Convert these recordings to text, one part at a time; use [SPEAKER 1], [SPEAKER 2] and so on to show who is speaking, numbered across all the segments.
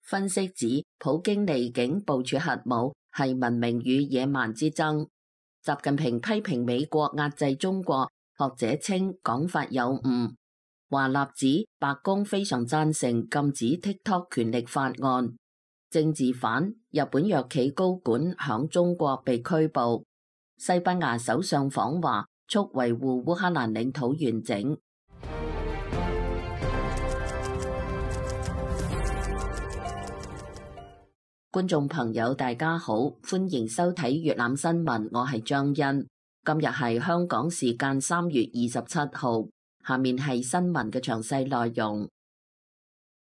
[SPEAKER 1] 分析指，普京離境部署核武係文明與野蠻之爭。習近平批評美國壓制中國，學者稱講法有誤。華納指白宮非常贊成禁止 TikTok 權力法案。政治犯，日本藥企高管響中國被拘捕。西班牙首相訪華，促維護烏克蘭領土完整。觀眾朋友大家好，歡迎收睇粵覽新聞，我係張欣。今日係香港時間3月27號，下面係新聞嘅詳細內容。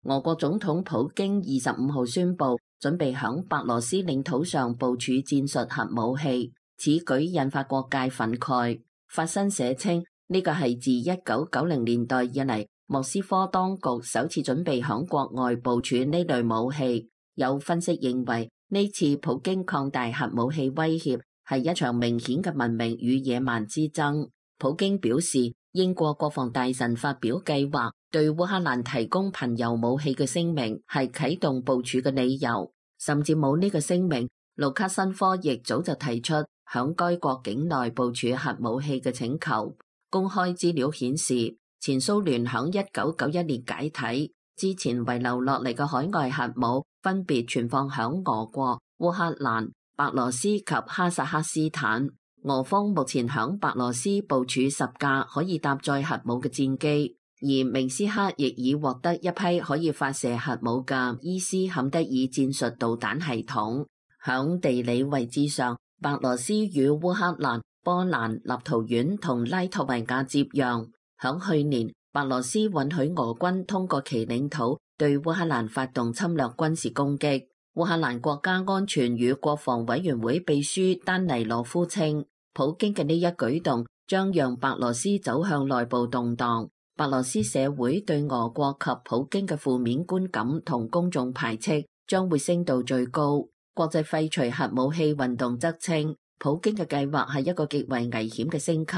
[SPEAKER 1] 俄國總統普京25號宣布準備響白羅斯領土上部署戰術核武器，此舉引發各界憤慨。法新社稱呢個係自1990年代以嚟莫斯科當局首次準備響國外部署呢類武器。有分析認為，呢次普京擴大核武器威脅係一場明顯嘅文明與野蠻之爭。普京表示，英國國防大臣發表計劃對烏克蘭提供貧鈾武器嘅聲明係啟動部署嘅理由，甚至冇呢個聲明，盧卡申科亦早就提出響該國境內部署核武器嘅請求。公開資料顯示，前蘇聯響1991年解體之前遺留落嚟嘅海外核武分別存放響俄國、烏克蘭、白羅斯及哈薩克斯坦。俄方目前響白羅斯部署10架可以搭載核武嘅戰機，而明斯克亦已獲得一批可以發射核武嘅伊斯坎德爾戰術導彈系統。響地理位置上，白羅斯與烏克蘭、波蘭、立陶宛同拉脫維亞接壤。響去年，白羅斯允許俄軍通過其領土對烏克蘭發動侵略軍事攻擊。烏克蘭國家安全與國防委員會秘書丹尼羅夫稱，普京嘅呢一舉動將讓白羅斯走向內部動盪。白羅斯社會對俄國及普京嘅負面觀感同公眾排斥將會升到最高。國際廢除核武器運動則稱，普京嘅計劃係一個極為危險嘅升級。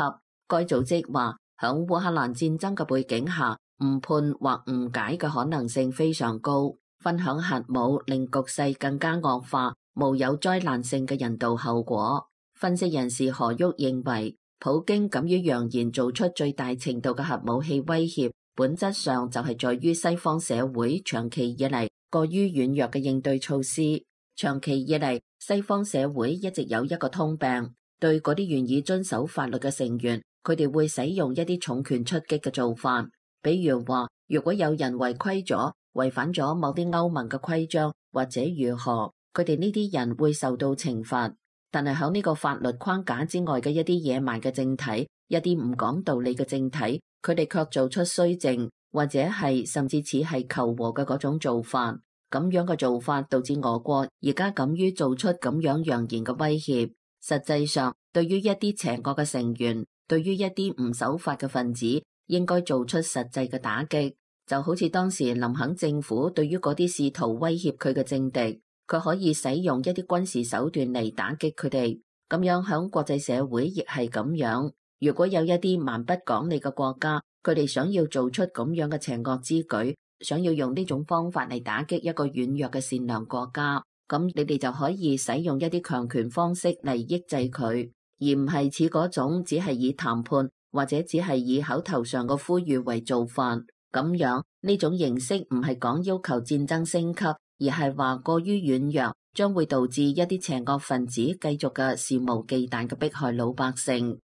[SPEAKER 1] 該組織話，響烏克蘭戰爭嘅背景下，誤判或誤解嘅可能性非常高。分享核武令局勢更加惡化，無有災難性嘅人道後果。分析人士何旭認為，普京敢於揚言做出最大程度嘅核武器威脅，本質上就係在於西方社會長期以嚟過於軟弱嘅應對措施。長期以嚟，西方社會一直有一個通病，對嗰啲願意遵守法律嘅成員，佢哋會使用一啲重拳出擊嘅做法。比如話，如果有人違規咗，違反咗某啲歐盟嘅規章，或者如何，佢哋呢啲人會受到懲罰。但係喺呢個法律框架之外嘅一啲野蠻嘅政體，一啲唔講道理嘅政體，佢哋卻做出綏靖，或者係甚至似係求和嘅嗰種做法。咁樣嘅做法導致俄國而家敢於做出咁樣揚言嘅威脅。實際上，對於一啲邪惡嘅成員，對於一啲唔守法嘅分子，應該做出實際嘅打擊。就好似當時林肯政府對於嗰啲試圖威脅佢嘅政敵，佢可以使用一啲軍事手段嚟打擊佢哋。咁樣響國際社會亦係咁樣。如果有一啲蠻不講理嘅國家，佢哋想要做出咁樣嘅邪惡之舉，想要用呢種方法嚟打擊一個軟弱嘅善良國家，咁你哋就可以使用一啲強權方式嚟抑制佢，而唔係似嗰種只係以談判或者只係以口頭上嘅呼籲為做法。咁樣呢種形式唔係講要求戰爭升級，而係話過於軟弱，將會導致一啲邪惡分子繼續嘅肆無忌憚嘅迫害老百姓。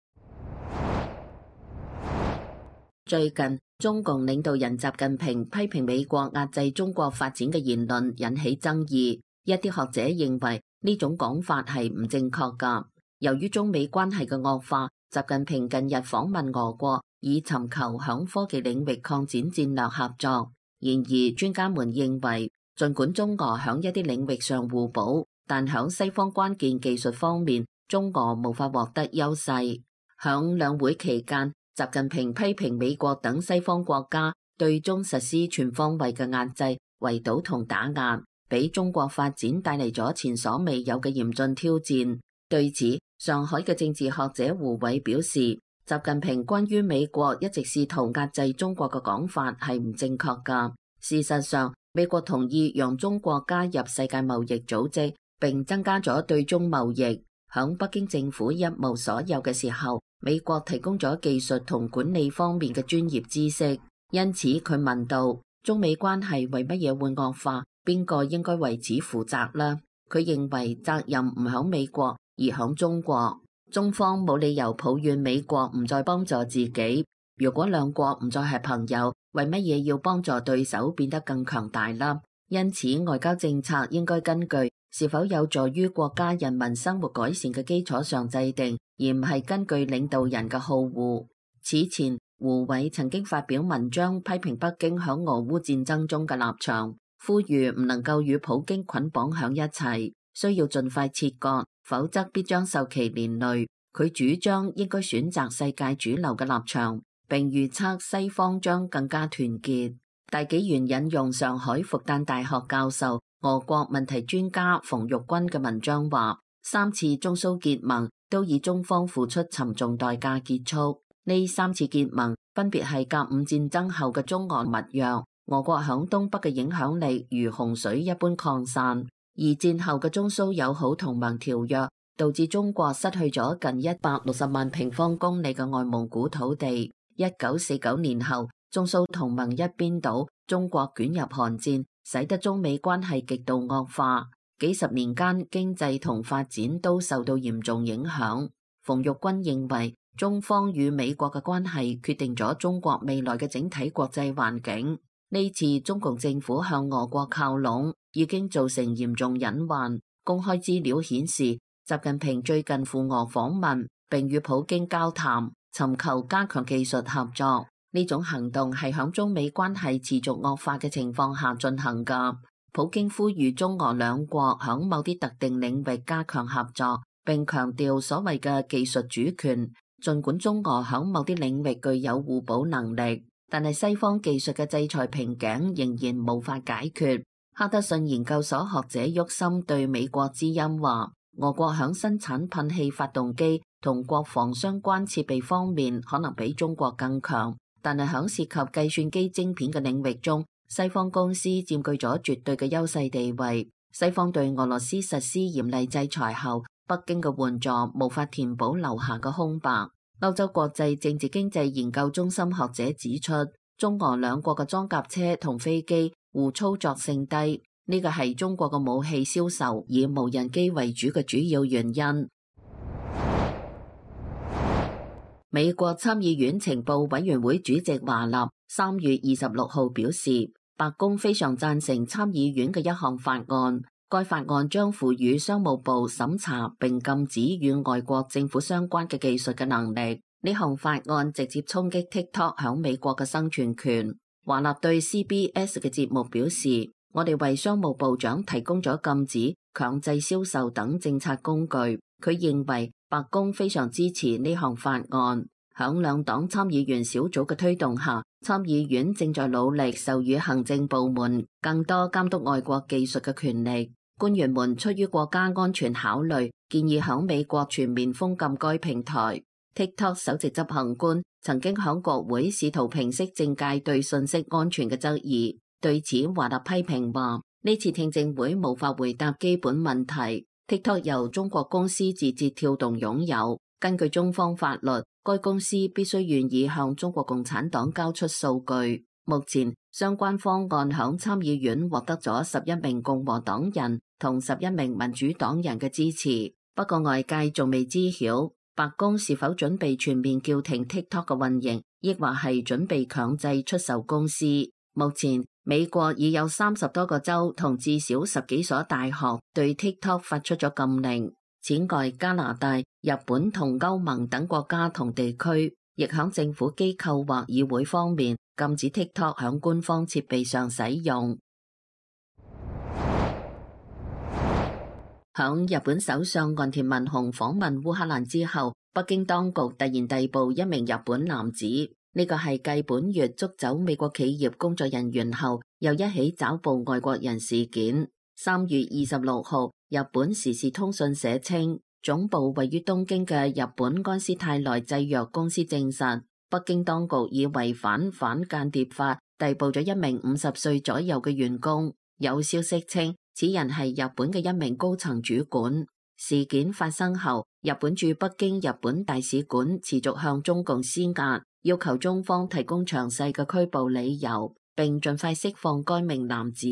[SPEAKER 1] 最近，中共領導人習近平批評美國壓制中國發展嘅言論引起爭議，一啲學者認為呢種講法係唔正確㗎。由於中美關係嘅惡化，習近平近日訪問俄國，以尋求響科技領域擴展戰略合作。然而，專家們認為，儘管中俄響一啲領域上互補，但響西方關鍵技術方面，中俄無法獲得優勢。響兩會期間，習近平批評美國等西方國家對中實施全方位嘅壓制、圍堵同打壓，俾中國發展帶嚟咗前所未有嘅嚴峻挑戰。對此，上海嘅政治學者胡偉表示，習近平關於美國一直試圖壓制中國嘅講法係唔正確㗎。事實上，美國同意讓中國加入世界貿易組織，並增加咗對中貿易。響北京政府一無所有嘅時候，美國提供咗技術同管理方面嘅專業知識。因此佢問道：中美關係為乜嘢會惡化？邊個應該為此負責呢？佢認為責任唔響美國，而響中國。中方冇理由抱怨美國唔再幫助自己。如果兩國唔再係朋友，為乜嘢要幫助對手變得更強大啦？因此外交政策應該根據是否有助於國家人民生活改善嘅基礎上制定，而唔係根據領導人嘅好惡。此前胡偉曾經發表文章批評北京響俄烏戰爭中嘅立場，呼籲唔能夠與普京捆綁響一齊，需要盡快切割，否則必將受其連累。佢主張應該選擇世界主流嘅立場，並預測西方將更加團結。大紀元引用上海復旦大學教授、俄國問題專家馮玉軍嘅文章話，3次中蘇結盟都以中方付出沉重代價結束。呢3次結盟分別係甲午戰爭後嘅中俄密約，俄國響東北嘅影響力如洪水一般擴散；二戰後嘅中蘇友好同盟條約，導致中國失去咗近160萬平方公里嘅外蒙古土地。1949年後，中蘇同盟一邊倒，中國捲入韓戰，使得中美關係極度惡化。幾十年間，經濟同發展都受到嚴重影響。馮玉軍認為，中方與美國嘅關係決定咗中國未來嘅整體國際環境。呢次中共政府向俄國靠攏，已經造成嚴重隱患。公開資料顯示，習近平最近赴俄訪問，並與普京交談，尋求加強技術合作。呢種行動係響中美關係持續惡化嘅情況下進行㗎。普京呼籲中俄兩國響某啲特定領域加強合作，並強調所謂嘅技術主權。儘管中俄響某啲領域具有互補能力，但係西方技術嘅制裁瓶頸仍然無法解決。哈德遜研究所學者沃森對美國之音話，俄國響生產噴氣發動機同國防相關設備方面可能比中國更強，但係響涉及計算機晶片嘅領域中，西方公司佔據咗絕對嘅優勢地位。西方對俄羅斯實施嚴厲制裁後，北京嘅援助無法填補留下嘅空白。歐洲國際政治經濟研究中心學者指出，中俄兩國嘅裝甲車同飛機互操作性低，呢個係中國嘅武器銷售以無人機為主嘅主要原因。美國參議院情報委員會主席華納3月26號表示，白宮非常贊成參議院嘅一項法案。該法案將賦予商務部審查並禁止與外國政府相關嘅技術嘅能力。呢項法案直接衝擊 TikTok 響美國嘅生存權。華納對 CBS 嘅節目表示，我哋為商務部長提供咗禁止、強制銷售等政策工具。佢認為白宮非常支持呢項法案。響兩黨參議員小組嘅推動下，參議院正在努力授予行政部門更多監督外國技術嘅權力。官員們出於國家安全考慮，建議響美國全面封禁該平台。TikTok 首席執行官曾經響國會試圖平息政界對信息安全嘅質疑。對此，華納批評話，呢次聽證會無法回答基本問題。TikTok 由中國公司字節跳動擁有，根據中方法律，該公司必須願意向中國共產黨交出數據。目前相關方案響參議院獲得咗11名共和黨人同11名民主黨人嘅支持。不過外界仲未知曉白宮是否準備全面叫停 TikTok 嘅運營，抑或係準備強制出售公司。目前美國已有30多個州同至少10幾所大學對 TikTok 發出咗禁令。此外，加拿大、日本同歐盟等國家同地區亦響政府機構或議會方面禁止 TikTok 響官方設備上使用。響日本首相岸田文雄訪問烏克蘭之後，北京當局突然逮捕一名日本男子。呢個係繼本月捉走美國企業工作人員後，又一起抓捕外國人事件。3月26號，日本時事通訊社稱，總部位於東京嘅日本安斯泰來製藥公司證實，北京當局以違反反間諜法逮捕咗一名50歲左右嘅員工。有消息稱，此人係日本嘅一名高層主管。事件發生後，日本駐北京日本大使館持續向中共施壓，要求中方提供詳細嘅拘捕理由，並盡快釋放該名男子。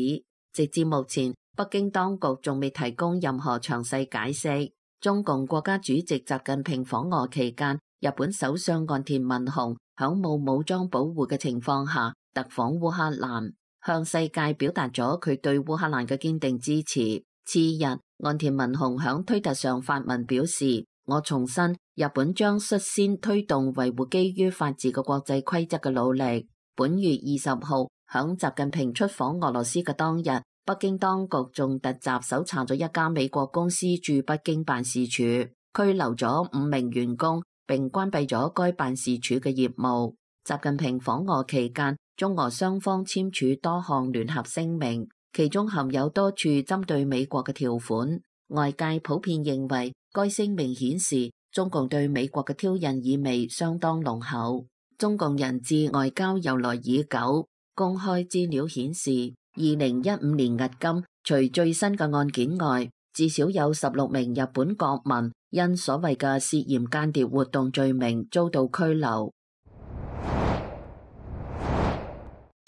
[SPEAKER 1] 直至目前，北京當局仲未提供任何詳細解釋。中共國家主席習近平訪俄期間，日本首相岸田文雄響冇武裝保護嘅情況下特訪烏克蘭，向世界表達咗佢對烏克蘭嘅堅定支持。次日，岸田文雄響推特上發文表示：我重申，日本將率先推動維護基於法治嘅國際規則嘅努力。本月20號，響習近平出訪俄羅斯嘅當日，北京當局仲突襲搜查咗一家美國公司駐北京辦事處，拘留咗5名員工，並關閉咗該辦事處嘅業務。習近平訪俄期間，中俄雙方簽署多項聯合聲明，其中含有多處針對美國嘅條款。外界普遍認為，該聲明顯示中共對美國嘅挑釁意味相當濃厚。中共人質外交由來已久，公開資料顯示，2015年迄今，除最新嘅案件外，至少有16名日本國民因所謂嘅涉嫌間諜活動罪名遭到拘留。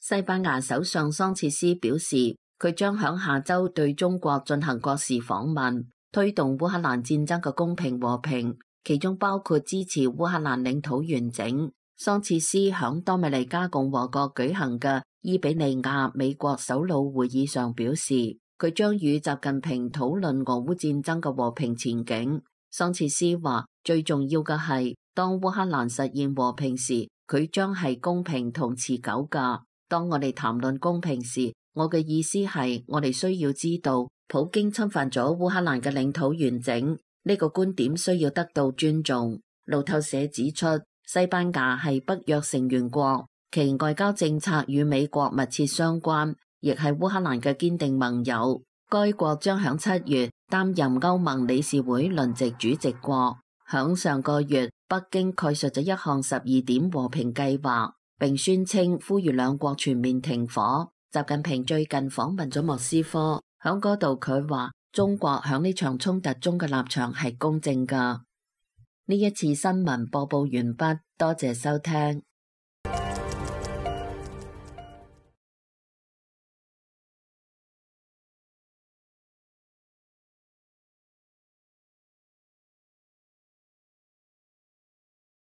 [SPEAKER 1] 西班牙首相桑切斯表示，佢將響下周對中國進行國事訪問，推動烏克蘭戰爭嘅公平和平，其中包括支持烏克蘭領土完整。桑切斯響多米尼加共和國舉行嘅伊比利亞美國首腦會議上表示，佢將與習近平討論俄烏戰爭嘅和平前景。桑切斯話，最重要嘅係，當烏克蘭實現和平時，佢將係公平同持久㗎。當我哋談論公平時，我嘅意思係，我哋需要知道，普京侵犯咗烏克蘭嘅領土完整，呢個觀點需要得到尊重。路透社指出，西班牙係北約成員國，其外交政策與美國密切相關，亦係烏克蘭嘅堅定盟友。該國將響7月擔任歐盟理事會輪值主席國。響上個月，北京概述咗一項12點和平計劃，並宣稱呼籲兩國全面停火。習近平最近訪問咗莫斯科，響嗰度佢話中國響呢場衝突中嘅立場係公正㗎。呢一次新聞播報完畢，多謝收聽。